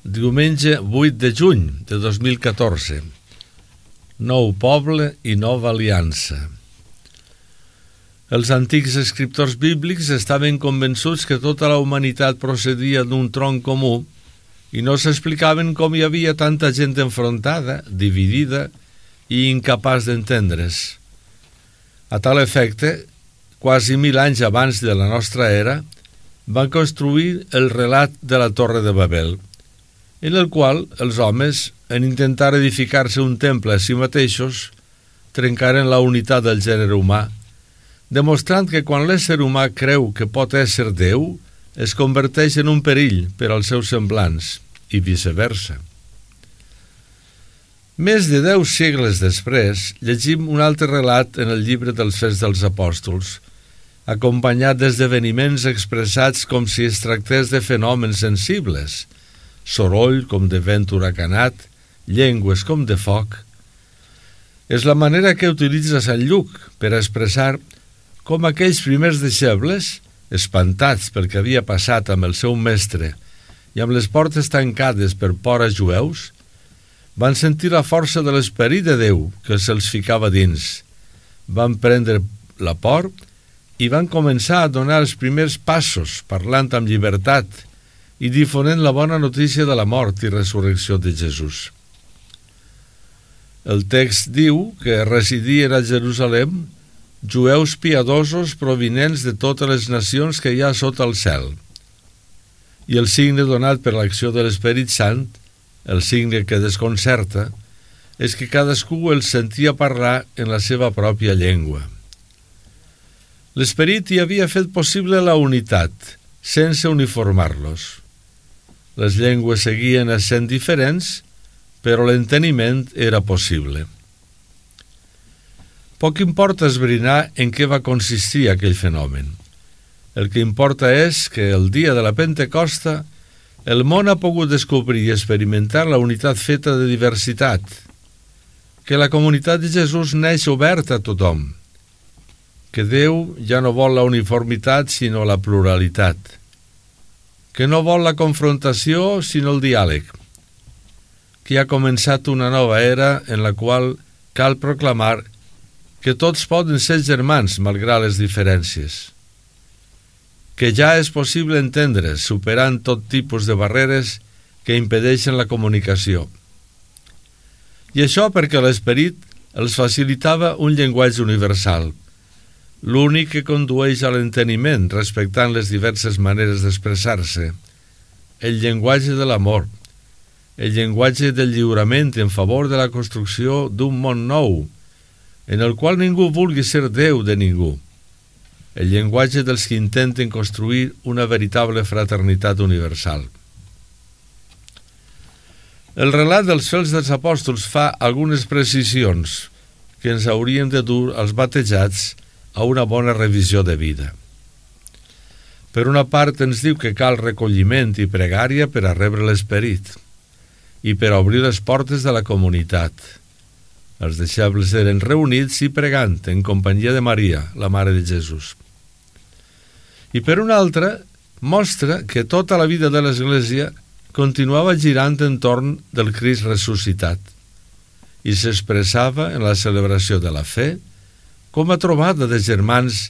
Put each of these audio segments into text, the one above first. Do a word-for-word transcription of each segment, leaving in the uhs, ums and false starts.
diumenge vuit de juny de dos mil catorze. Nou poble i nova aliança. Els antics escriptors bíblics estaven convençuts que tota la humanitat procedia d'un tronc comú i no s'explicaven com hi havia tanta gent enfrontada, dividida i incapaç d'entendre's. A tal efecte, quasi mil anys abans de la nostra era, van construir el relat de la Torre de Babel, en el qual els homes, en intentar edificar-se un temple a si mateixos, trencaren la unitat del gènere humà, demostrant que quan l'ésser humà creu que pot ésser Déu, es converteix en un perill per als seus semblants, i viceversa. Més de deu segles després, llegim un altre relat en el llibre dels Fets dels Apòstols, acompanyat d'esdeveniments expressats com si es tractés de fenòmens sensibles, soroll com de vent huracanat, llengües com de foc. És la manera que utilitza Sant Lluc per expressar com aquells primers deixebles, espantats pel que havia passat amb el seu mestre i amb les portes tancades per por a jueus, van sentir la força de l'esperit de Déu que se'ls ficava dins, van prendre la por i van començar a donar els primers passos parlant amb llibertat i difonent la bona notícia de la mort i resurrecció de Jesús. El text diu que residien a Jerusalem jueus piadosos provinents de totes les nacions que hi ha sota el cel. I el signe donat per l'acció de l'Esperit Sant, el signe que desconcerta, és que cadascú els sentia parlar en la seva pròpia llengua. L'Esperit hi havia fet possible la unitat, sense uniformar-los. Les llengües seguien essent diferents, però l'enteniment era possible. Poc importa esbrinar en què va consistir aquell fenomen. El que importa és que el dia de la Pentecosta el món ha pogut descobrir i experimentar la unitat feta de diversitat, que la comunitat de Jesús neix oberta a tothom, que Déu ja no vol la uniformitat sinó la pluralitat, que no vol la confrontació sinó el diàleg, que ha començat una nova era en la qual cal proclamar que tots poden ser germans malgrat les diferències, que ja és possible entendre's superant tot tipus de barreres que impedeixen la comunicació. I això perquè l'Esperit els facilitava un llenguatge universal, l'únic que condueix a l'enteniment respectant les diverses maneres d'expressar-se, el llenguatge de l'amor, el llenguatge del lliurament en favor de la construcció d'un món nou, en el qual ningú vulgui ser Déu de ningú, el llenguatge dels que intenten construir una veritable fraternitat universal. El relat dels Fets dels Apòstols fa algunes precisions que ens haurien de dur als batejats a una bona revisió de vida. Per una part ens diu que cal recolliment i pregària per a rebre l'Esperit i per a obrir les portes de la comunitat. Els deixebles eren reunits i pregant en companyia de Maria, la Mare de Jesús. I per una altra, mostra que tota la vida de l'Església continuava girant entorn del Crist ressuscitat i s'expressava en la celebració de la fe com a trobada de germans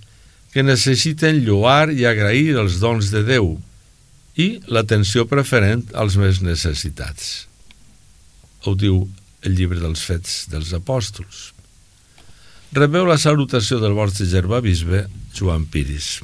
que necessiten lloar i agrair els dons de Déu i l'atenció preferent als més necessitats. Ho diu el llibre dels Fets dels Apòstols. Rebeu la salutació del vostre germà bisbe, Joan Piris.